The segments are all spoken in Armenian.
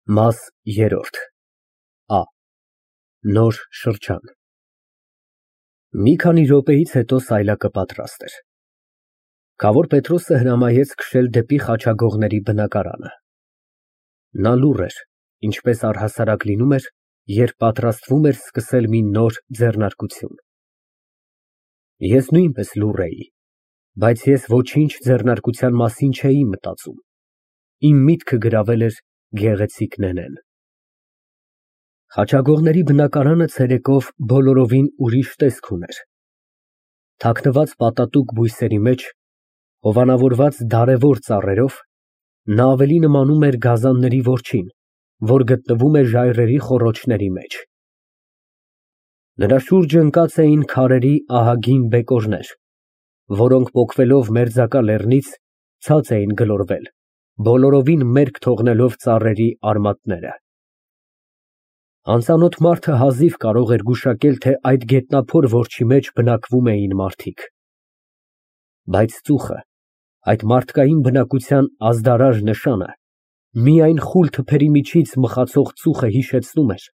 Մաս երրորդ Ա Նոր շրջան Մի քանի րոպեից հետո սայլակը պատրաստ էր։ Քավոր Պետրոսը հրամայեց քշել դեպի խաչագողների բնակարանը։ Նա լուռ էր, ինչպես առհասարակ լինում էր, երբ պատրաստվում էր սկսել մի նոր ձեռնարկություն։ Ես նույնպես լուռ էի, բայց ես ոչինչ ձեռնարկության մասին չէի մտածում, իմ միտքը գրավել էր գեղեցիկ Նենեն։ Խաչագողների բնակարանը ցերեկով բոլորովին ուրիշ տեսք ուներ։ Թաքնված պատատուկ բույսերի մեջ, հովանավորված դարևոր ծառերով, նա ավելի նմանում էր գազանների որջին, որ գտնվում է ժայռերի խոռոչների մեջ։ Նրա շուրջը ընկած էին քարերի ահագին բեկորներ, որոնք պոկվելով մերձակա լեռնից ցած էին գլորվել, բոլորովին մերկ թողնելով ծառերի արմատները։ Անծանոթ մարդը հազիվ կարող էր գուշակել, թե այդ գետնափոր որջի մեջ բնակվում էին մարդիկ։ Բայց ծուխը, այդ մարդկային բնակության ազդարար նշանը, միայն խուլ թփերի միջից մխացող ծուխը հիշեցնում էր,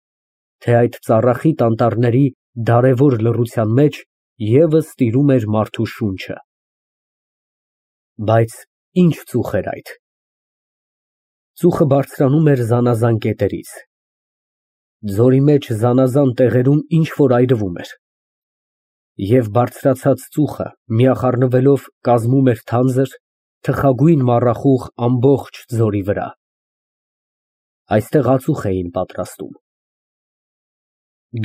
թե այդ ծառախիտ անտառների դարևոր լռության մեջ ևս տիրում էր մարդու շունչը։ Բայց ի՞նչ ծուխ էր այդ։ Ծուխը բարձրանում էր զանազան կետերից։ Ձորի մեջ զանազան տեղերում ինչ֊որ այրվում էր։ Եվ բարձրացած ծուխը, միախառնվելով, կազմում էր թանձր, թխագույն մառախուղ ամբողջ ձորի վրա։ Այստեղ ածուխ էին պատրաստում։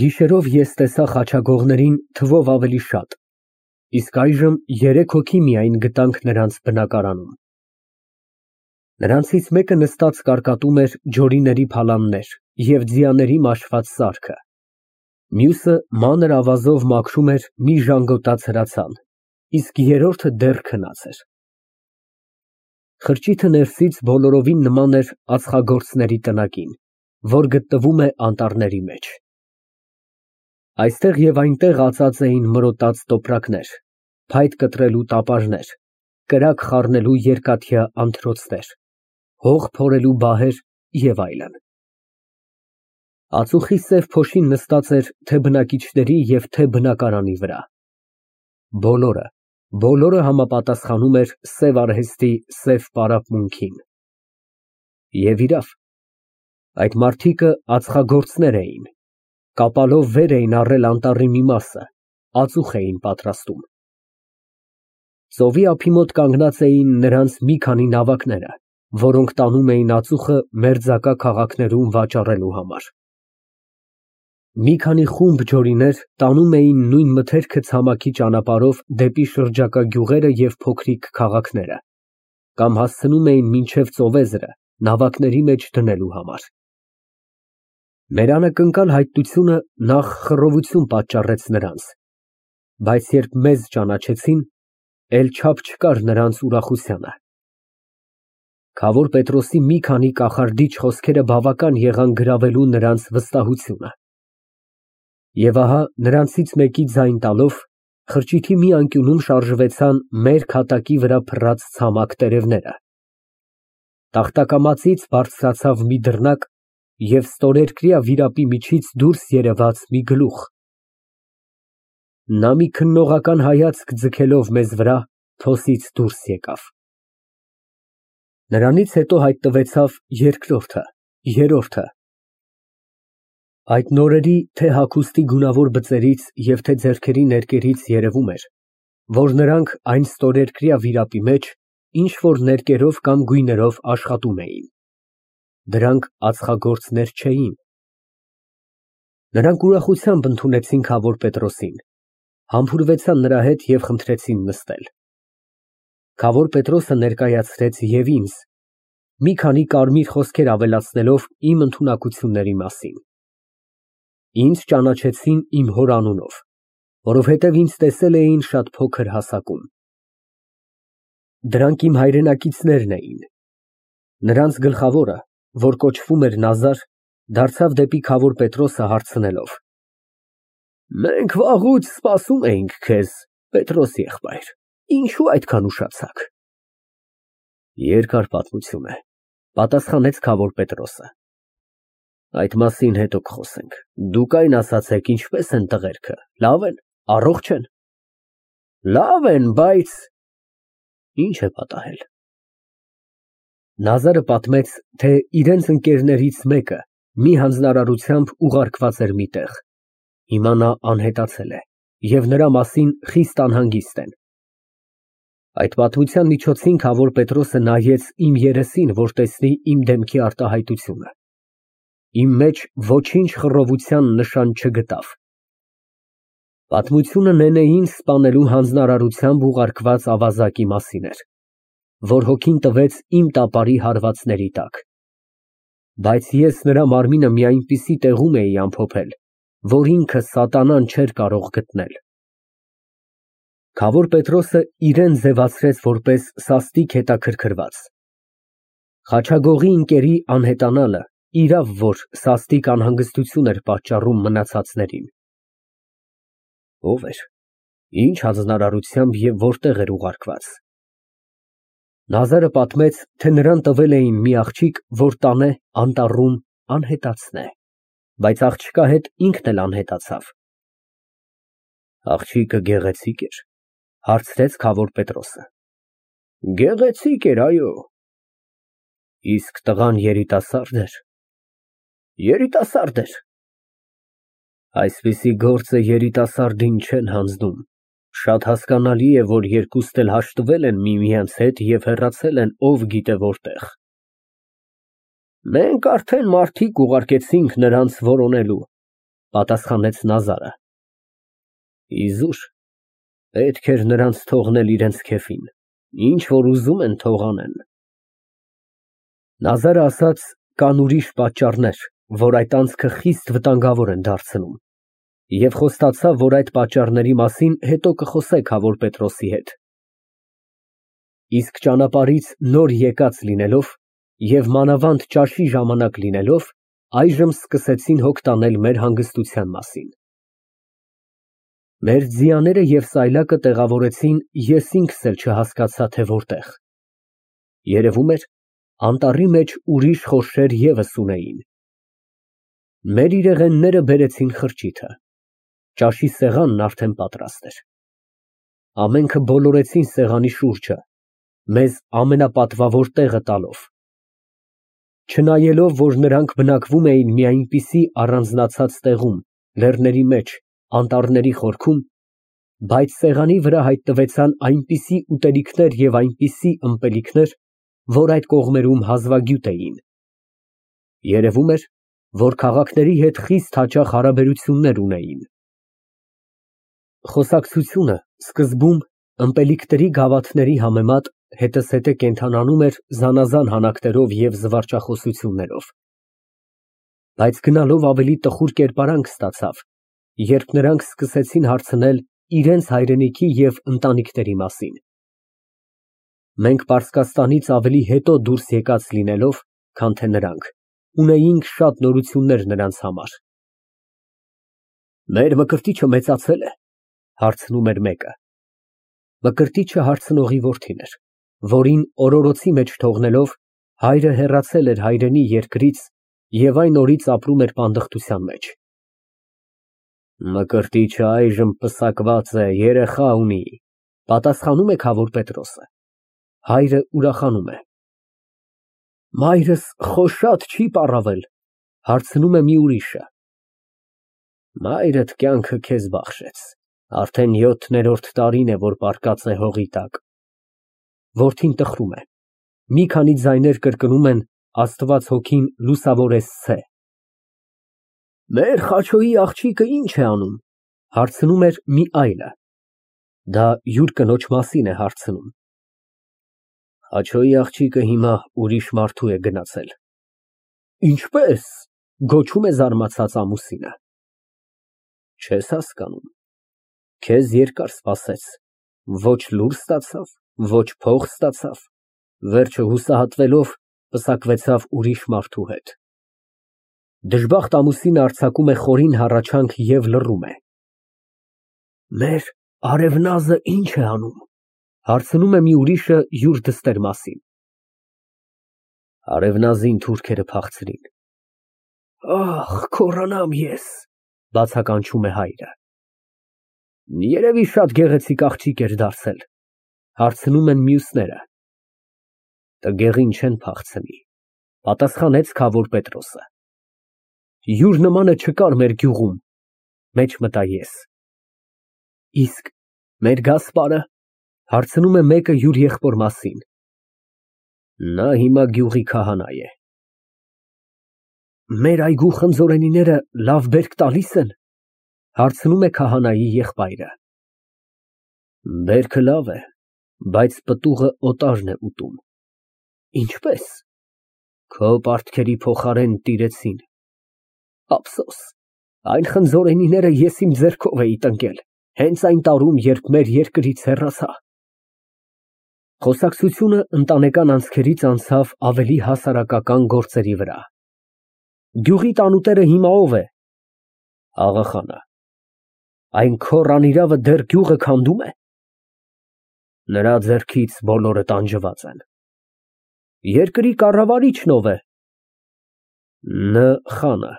Գիշերով ես տեսա խաչագողներին թվով ավելի շատ, իսկ այժմ 3 հոգի միայն գտանք նրանց բնակարանում։ Նրանցից մեկը նստած կարկատում էր ջորիների փալաններ և ձիաների մաշված սարքը, մյուսը մանր ավազով մաքրում էր մի ժանգոտած հրացան, իսկ երրորդը դեռ քնած էր։ Խրճիթը ներսից բոլորովին նման էր ածխագործների տնակին, որ գտնվում է անտառների մեջ։ Այստեղ և այնտեղ ածած էին մրոտած տոպրակներ, փայտ կտրելու տապարներ, կրակ խառնելու երկաթյա անթրոցներ, հող փորելու բահեր և այլն։ Ածուխի սև փոշին նստած էր թե բնակիչների և թե բնակարանի վրա։ Բոլորը համապատասխանում էր սև արհեստի սև պարապմունքին։ Եվ իրավ, այդ մարդիկը ածխագործներ էին, կապալով վեր էին առել անտառի մի մասը, ածուխ էին պատրաստում։ Ծովի ափի մոտ կանգնած էին նրանց մի քանի նավակները, որոնք տանում էին ածուխը մերձակա քաղաքներում վաճառելու համար։ Մի քանի խումբ ջորիներ տանում էին նույն մթերքը ցամաքի ճանապարհով դեպի շրջակա գյուղերը և փոքրիկ քաղաքները, կամ հասցնում էին մինչև ծովեզրը նավակների մեջ դնելու համար։ Մեր անակնկալ հայտնությունը նախ խռովություն պատճառեց նրանց, բայց երբ մեզ ճանաչեցին, էլ չափ չկար նրանց ուրախությանը։ Քավոր Պետրոսի մի քանի կախարդիչ խոսքերը բավական եղան գրավելու նրանց վստահությունը։ Եվ ահա նրանցից մեկի ձայն տալով, խրճիթի մի անկյունում շարժվեցան մեր հատակի վրա փռած ցամաք տերևները։ Տախտակամածից բարձրացավ մի դռնակ և ստորերկրյա վիրապի միջից դուրս երևաց մի գլուխ։ Նա մի քննողական հայացք ձգելով մեզ վրա, փոսից դուրս եկավ։ Նրանից հետո հայտնվեցավ երկրորդը, երրորդը։ Այդ նորերի թե հագուստի գունավոր բծերից և թե ձեռքերի ներկերից երևում էր, որ նրանք այն ստորերկրյա վիրապի մեջ ինչ֊որ ներկերով կամ գույներով աշխատում էին։ Դրանք ածխագործներ չէին։ Նրանք ուրախությամբ ընդունեցին քավոր Պետրոսին, համբուրվեցան նրա հետ և խնդրեցին նստել։ Քավոր Պետրոսը ներկայացրեց և ինձ մի քանի կարմիր խոսքեր ավելացնելով իմ ընդունակությունների մասին։ Ինձ ճանաչեցին իմ հոր անունով, որովհետև ինձ տեսել էին շատ փոքր հասակում։ Դրանք իմ հայրենակիցներն էին։ Նրանց գլխավորը, որ կոչվում էր Նազար, դարձավ դեպի քավոր Պետրոսը հարցնելով. Մենք վաղուց սպասում էինք քեզ, Պետրոս եղբայր, ինչու այդքան ուշացաք։ Երկար պատմություն է, պատասխանեց քավոր Պետրոսը։ Այդ մասին հետո կխոսենք։ Դուք այն ասացեք, ինչպես են տղերքը, լավ են, առողջ են։ Լավ են, բայց ինչ է պատահել։ Նազարը պատմեց, թե իրենց ընկերներից մեկը մի հանձնարարությամբ ուղարկված էր մի տեղ։ Հիմա նա անհետացել է, և նրա մասին խիստ անհանգիստ են։ Այդ պատմության միջոցին Քավոր Պետրոսը նայեց իմ երեսին, որ տեսնի իմ դեմքի արտահայտությունը։ Իմ մեջ ոչինչ խռովության նշան չգտավ։ Պատմությունը Նենեին սպանելու հանձնարարությամբ ուղարկված ավազակի մասին էր, որ հոգին տվեց իմ տապարի հարվածների տակ։ Բայց ես նրա մարմինը մի այնպիսի տեղում էի ամփոփել, որ ինքը սատանան չէր կարող գտնել։ Քավոր Պետրոսը իրեն ձևացրեց որպես սաստիկ հետաքրքրված։ Խաչագողի ընկերի անհետանալը իրավ որ սաստիկ անհանգստություն էր պատճառում մնացածներին։ Ո՞վ էր, ինչ հանձնարարությամբ և որտեղ էր ուղարկված։ Նազարը պատմեց, թե նրան տվել էին մի աղջիկ, որ տանե անտառում անհետացնե, բայց աղջկա հետ ինքն էլ անհետացավ։ Աղջիկը գեղեցիկ էր, հարցրեց Քավոր Պետրոսը։ Գեղեցիկ էր, այո։ Իսկ տղան երիտասարդ էր։ Երիտասարդ էր։ Այսպիսի գործը երիտասարդին չեն հանձնում։ Շատ հասկանալի է, որ երկուստ էլ հաշտվել են միմյանց հետ և հեռացել են ով գիտե որտեղ։ Մենք արդեն մարդիկ ուղարկեցինք նրանց որոնելու, պատասխանեց Նազարը։ Իզուր, պետք էր նրանց թողնել իրենց քեֆին, ինչ որ ուզում են թող անեն։ Նազարը ասաց, կան ուրիշ պատճառներ, որ այդ անցքը խիստ վտանգավոր են դարձնում, և խոստացավ, որ այդ պատճառների մասին հետո կխոսե Քավոր Պետրոսի հետ։ Իսկ ճանապարհից նոր եկած լինելով և մանավանդ ճաշի ժամանակ լինելով, այժմ սկսեցին հոգ տանել մեր հանգստության մասին։ Մեր ձիաները և սայլակը տեղավորեցին, ես ինքս էլ չհասկացա, թե որտեղ։ Երևում էր, անտառի մեջ ուրիշ խորշեր ևս ունեին։ Մեր իրեղենները բերեցին խրճիթը։ Ճաշի սեղանն արդեն պատրաստ էր։ Ամենքը բոլորեցին սեղանի շուրջը, մեզ ամենապատվավոր տեղը տալով։ Չնայելով, որ նրանք բնակվում էին մի այնպիսի առանձնացած տեղում, լեռների մեջ, անտառների խորքում, բայց սեղանի վրա հայտնվեցան այնպիսի ուտելիքներ և այնպիսի ըմպելիքներ, որ այդ կողմերում հազվագյուտ էին։ Երևում էր, որ քաղաքների հետ խիստ հաճախ հարաբերություններ ունեին։ Խոսակցությունը սկզբում ըմպելիքների գավաթների համեմատ հետզհետե կենդանանում էր զանազան հանակներով և զվարճախոսություններով։ Բայց գնալով ավելի տխուր կերպարանք ստացավ, երբ նրանք սկսեցին հարցնել իրենց հայրենիքի և ընտանիքների մասին։ Մենք Պարսկաստանից ավելի հետո դուրս եկած լինելով, քան թե նրանք, ունեինք շատ նորություններ նրանց համար։ Մեր Մկրտիչը մեծացել է, հարցնում էր մեկը։ Մկրտիչը հարցնողի որդին էր, որին օրորոցի մեջ թողնելով, հայրը հեռացել էր հայրենի երկրից և այն օրից ապրում էր պանդխտության մեջ։ Մկրտիչը այժմ պսակված է, երեխա ունի, պատասխանում է Քավոր Պետրոսը։ Հայրը ուրախանում է։ Մայրս խոշատ չի պառավել, հարցնում է մի ուրիշը։ Մայրդ կյանքը քեզ բախշեց, արդեն 7-րդ տարին է, որ պառկած է հողի տակ։ Որդին տխրում է։ Մի քանի ձայներ կրկնում են Աստված հոգին լուսավորես ցե։ Մեր Խաչոյի աղջիկը ինչ է անում, հարցնում էր մի այլը։ Դա յուր կնոջ մասին է հարցնում։ Խաչոյի աղջիկը հիմա ուրիշ մարդու է գնացել։ Ինչպե՞ս, գոչում է զարմացած ամուսինը։ Չես հասկանում, քեզ երկար սպասեց, ոչ լուր ստացավ, ոչ փող ստացավ, վերջը հուսահատվելով պսակվեցավ ուրիշ մարդու հետ։ Դժբախտ ամուսինը արձակում է խորին հառաչանք և լռում է։ Մեր արևնազը ինչ է անում, հարցնում է մի ուրիշը յուր դստեր մասին։ Արևնազին թուրքերը փախցրին։ Ախ, քորանամ ես, բացականչում է հայրը։ Երևի շատ գեղեցիկ աղջիկ էր դարձել, հարցնում են մյուսները։ Տգեղին չեն փախցնի, պատասխանեց քավոր Պետրոսը։ Յուր նմանը չկար մեր գյուղում, մեջ մտա ես։ Իսկ մեր Գասպարը, հարցնում է մեկը յուր եղբոր մասին։ Նա հիմա գյուղի քահանա է։ Մեր այգու խնձորենիները լավ բերք տալիս են, հարցնում է քահանայի եղբայրը։ Բերքը լավ է, բայց պտուղը օտարն է ուտում։ Ինչպես։ Քո պարտքերի փոխարեն տիրեցին։ Ափսոս, այն խնձորենիները ես իմ ձեռքով էի տնկել, հենց այն տարում, երբ մեր երկրից հեռացա։ Խոսակցությունը ընտանեկան անցքերից անցավ ավելի հասարակական գործերի վրա։ Գյուղի տանուտերը հիմա ով է։ Աղախանը։ Այն քոռ անիրավը դեռ գյուղը քանդում է։ Նրա ձեռքից բոլորը տանջված են։ Երկրի կառավարիչն ով է։ Ն խանը։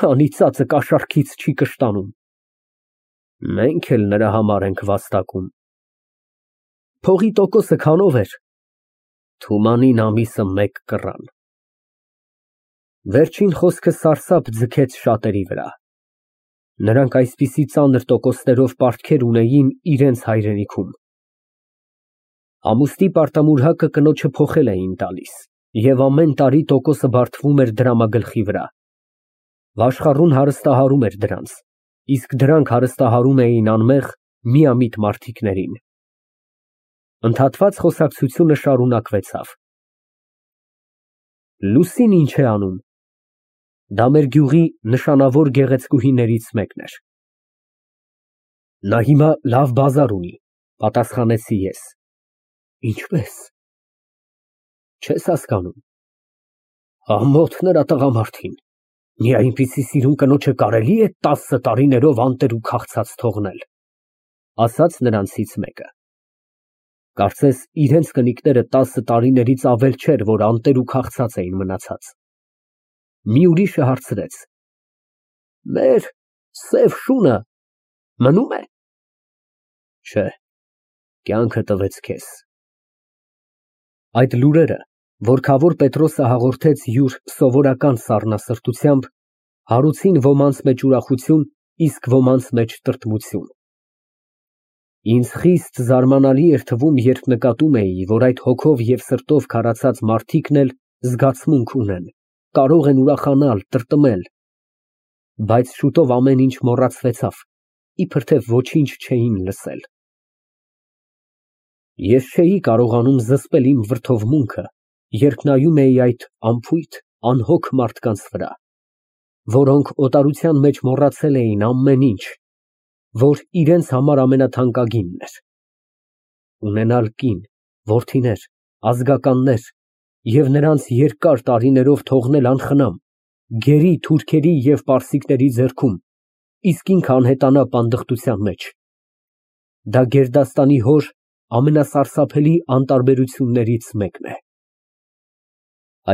Անիծածը կաշառքից չի կշտանում։ Մենք էլ նրա համար ենք վաստակում։ Փողի տոկոսը քանով էր։ Թումանին ամիսը 1 կռան։ Վերջին խոսքը սարսափ ձգեց շատերի վրա։ Նրանք այսպիսի ծանր տոկոսներով պարտքեր ունեին իրենց հայրենիքում։ Ամուսնի պարտամուրհակը կնոջը փոխել էին տալիս, և ամեն տարի տոկոսը բարդվում էր դրամագլխի վրա։ Վաշխառուն հարստահարում էր դրանց, իսկ դրանք հարստահարում էին անմեղ, միամիտ մարդիկներին։ Ընդհատված խոսակցությունը շարունակվեցավ։ Լուսին ինչ է անում։ Դա մեր գյուղի նշանավոր գեղեցկուհիներից մեկն էր։ Նա հիմա լավ բազար ունի, պատասխանեցի ես։ Ինչպես։ Չես հասկանում։ Ամոթ նրա տղամարդին։ Մի այնպիսի սիրուն կնոջը կարելի է 10 տարիներով անտեր ու քաղցած թողնել, ասաց նրանցից մեկը։ Կարծես իրենց կնիկները 10 տարիներից ավել չէր, որ անտեր ու քաղցած էին մնացած։ Մի ուրիշը հարցրեց. Մեր սև շունը մնում է։ Չէ, կյանքը տվեց քեզ։ Այդ լուրերը, որ քավոր Պետրոսը հաղորդեց յուր սովորական սառնասրտությամբ, հարուցին ոմանց մեջ ուրախություն, իսկ ոմանց մեջ տրտմություն։ Ինձ խիստ զարմանալի էր թվում, երբ նկատում էի, որ այդ հոգով և սրտով քարացած մարդիկն էլ զգացմունք ունեն, կարող են ուրախանալ, տրտմել, բայց շուտով ամեն ինչ մոռացվեցավ, իբր թե ոչինչ չէին լսել։ Ես չէի կարողանում զսպել իմ վրդովմունքը, երբ նայում էի այդ անփույթ, անհոգ մարդկանց վրա, որոնք օտարության մեջ մոռացել էին ամեն ինչ, որ իրենց համար ամենաթանկագինն էր։ Ունենալ կին, որդիներ, ազգականներ և նրանց երկար տարիներով թողնել անխնամ, գերի, թուրքերի և պարսիկների ձեռքում, իսկ ինքը անհետանա պանդխտության մեջ։ Դա գերդաստանի հոր ամենասարսափելի անտարբերություններից մեկն է։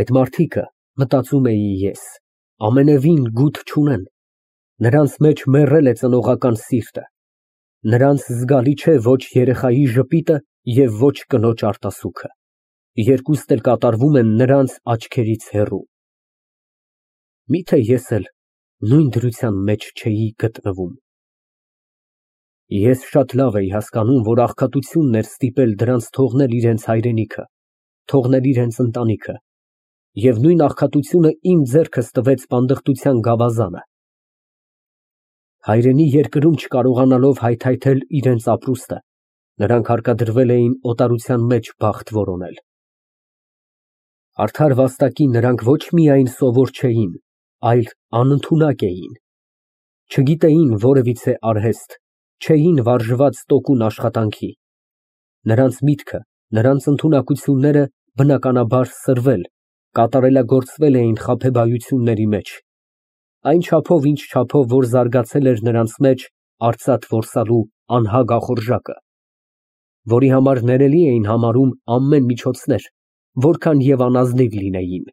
Այդ մարդիկը, մտածում էի ես, ամենևին գութ չունեն, նրանց մեջ մեռել է ծնողական սիրտը, նրանց զգալի չէ ոչ երեխայի ժպիտը և ոչ կնոջ արտասուքը, երկուստ էլ կատարվում են նրանց աչքերից հեռու։ Միթե ես էլ նույն դրության մեջ չէի գտնվում։ Ես շատ լավ էի հասկանում, որ աղքատությունն էր ստիպել դրանց թողնել իրենց հայրենիքը, թողնել իրենց ընտանիքը, և նույն աղքատությունը իմ ձեռքս տվեց պանդխտության գավազանը։ Հայրենի երկրում չկարողանալով հայթայթել իրենց ապրուստը, նրանք հարկադրվել էին օտարության մեջ բախտ որոնել։ Արդար վաստակի նրանք ոչ միայն սովոր չէին, այլ անընդունակ էին։ Չգիտեին որևիցե արհեստ, չէին վարժված տոկուն աշխատանքի։ Նրանց միտքը, նրանց ընդունակությունները բնականաբար սրվել, կատարելագործվել էին խաբեբայությունների մեջ, այն չափով, ինչ չափով, որ զարգացել էր նրանց մեջ արծաթ որսալու անհագ ախորժակը, որի համար ներելի էին համարում ամեն միջոցներ, որքան և անազնիվ լինեին։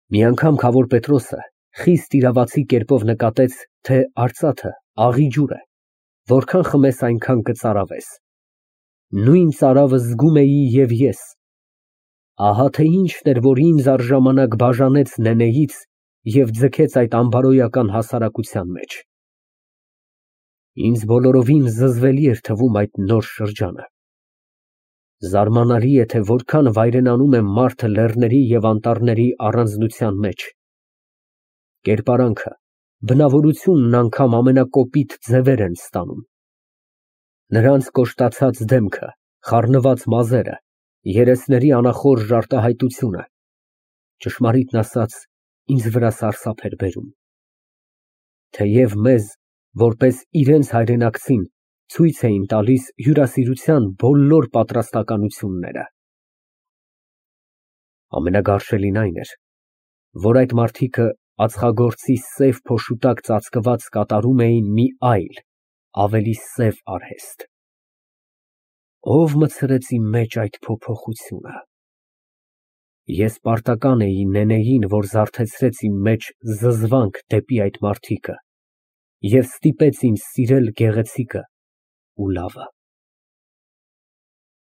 Մի անգամ Քավոր Պետրոսը խիստ իրավացի կերպով նկատեց, թե արծաթը աղի ջուր է, որքան խմես, այնքան կծարավես։ Նույն ծարավը զգում էի և ես։ Ահա թե ինչն էր, որ ինձ առժամանակ բաժանեց Նենեից և ձգեց այդ անբարոյական հասարակության մեջ։ Ինձ բոլորովին զզվելի էր թվում այդ նոր շրջանը։ Զարմանալի է, թե որքան վայրենանում է մարդը լեռների և անտառների առանձնության մեջ։ Կերպարանքը, բնավորությունն անգամ ամենակոպիտ ձևեր են ստանում։ Նրանց կոշտացած դեմքը, խառնված մազերը, երեսների անախորժ արտահայտությունը, ճշմարիտն ասած, ինձ վրա սարսափ էր բերում։ Թեև մեզ, որպես իրենց հայրենակցին, ցույց էին տալիս հյուրասիրության բոլոր պատրաստականությունները։ Ամենագարշելին այն էր, որ այդ մարդիկը ածխագործի սև փոշու տակ ծածկված կատարում էին մի այլ, ավելի սև արհեստ։ Ո՞վ մտցրեց իմ մեջ այդ փոփոխությունը։ Ես պարտական էի Նենեին, որ զարթեցրեց իմ մեջ զզվանք դեպի այդ մարդիկը և ստիպեց ինձ սիրել գեղեցիկը ու լավը։